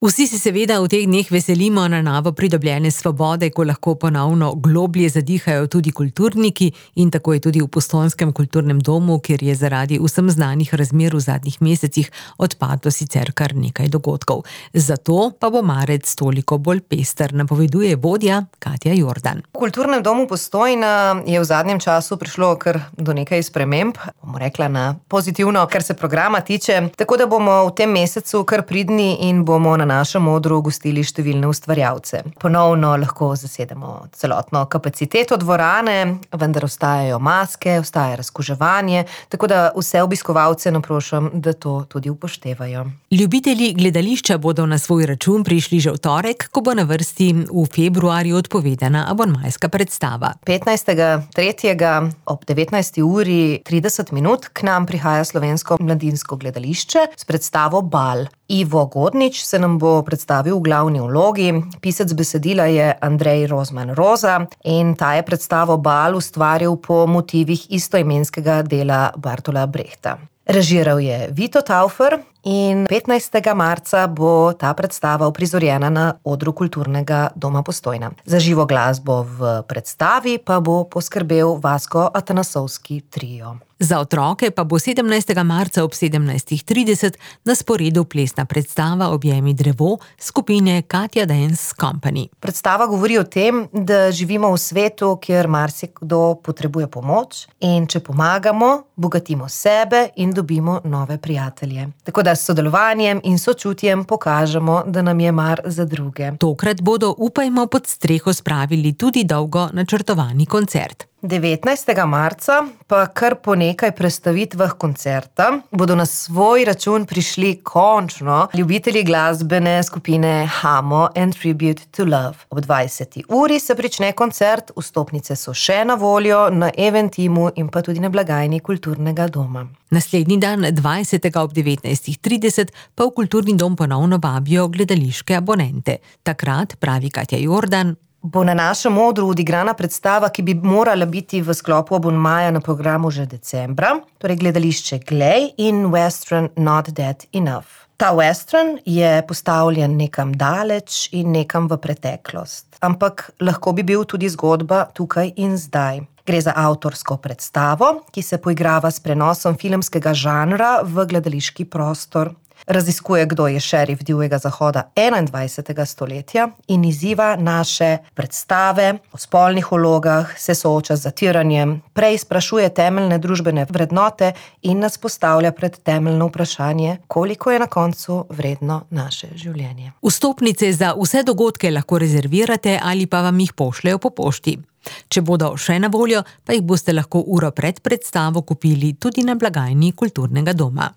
Vsi se seveda v teh dneh veselimo na novo pridobljene svobode, ko lahko ponovno globlje zadihajo tudi kulturniki, in tako je tudi v Postojnskem kulturnem domu, kjer je zaradi vsem znanih razmer v zadnjih mesecih odpadlo sicer kar nekaj dogodkov. Zato pa bo marec toliko bolj pester, napoveduje vodja Katja Jordan. V Kulturnem domu Postojna je v zadnjem času prišlo kar do nekaj sprememb, bomo rekla na pozitivno, kar se programa tiče, tako da bomo v tem mesecu kar pridni in bomo na našem odru gostili številne ustvarjalce. Ponovno lahko zasedemo celotno kapaciteto dvorane, vendar ostajajo maske, ostaja razkuževanje, tako da vse obiskovalce naprošam, da to tudi upoštevajo. Ljubitelji gledališča bodo na svoj račun prišli že v torek, ko bo na vrsti v februarju odpovedana abonmajska predstava. 15.3. ob 19:30 k nam prihaja Slovensko mladinsko gledališče s predstavo Bal. Ivo Godnič se nam bo predstavil v glavni vlogi, pisec besedila je Andrej Rozman Roza in ta je predstavo Bal ustvaril po motivih istoimenskega dela Bertolta Brechta. Režiral je Vito Taufer in 15. marca bo ta predstava uprizorjena na odru Kulturnega doma Postojna. Za živo glasbo v predstavi pa bo poskrbel Vasko Atanasovski trio. Za otroke pa bo 17. marca ob 17:30 na sporedu plesna predstava Objemi drevo skupine Katja Dance Company. Predstava govori o tem, da živimo v svetu, kjer marsikdo potrebuje pomoč in če pomagamo, bogatimo sebe in dobimo nove prijatelje. Tako da s sodelovanjem in sočutjem pokažemo, da nam je mar za druge. Tokrat bodo, upajmo, pod streho spravili tudi dolgo načrtovani koncert. 19. marca pa kar po nekaj prestavitvah koncerta bodo na svoj račun prišli končno ljubitelji glasbene skupine Hamo and Tribute to Love. Ob 20. uri se prične koncert, vstopnice so še na voljo na Eventimu in pa tudi na blagajni Kulturnega doma. Naslednji dan, 20. ob 19:30, pa v Kulturni dom ponovno vabijo gledališke abonente. Takrat, pravi Katja Jordan, bo na našem odru odigrana predstava, ki bi morala biti v sklopu abonmaja na programu že decembra, torej gledališče Glej in western Not Dead Enough. Ta western je postavljen nekam daleč in nekam v preteklost, ampak lahko bi bil tudi zgodba tukaj in zdaj. Gre za avtorsko predstavo, ki se poigrava s prenosom filmskega žanra v gledališki prostor. Raziskuje, kdo je šerif divjega zahoda 21. stoletja in izziva naše predstave o spolnih vlogah, se sooča z zatiranjem, prej sprašuje temeljne družbene vrednote in nas postavlja pred temeljno vprašanje, koliko je na koncu vredno naše življenje. Vstopnice za vse dogodke lahko rezervirate ali pa vam jih pošljejo po pošti. Če bodo še na voljo, pa jih boste lahko uro pred predstavo kupili tudi na blagajni Kulturnega doma.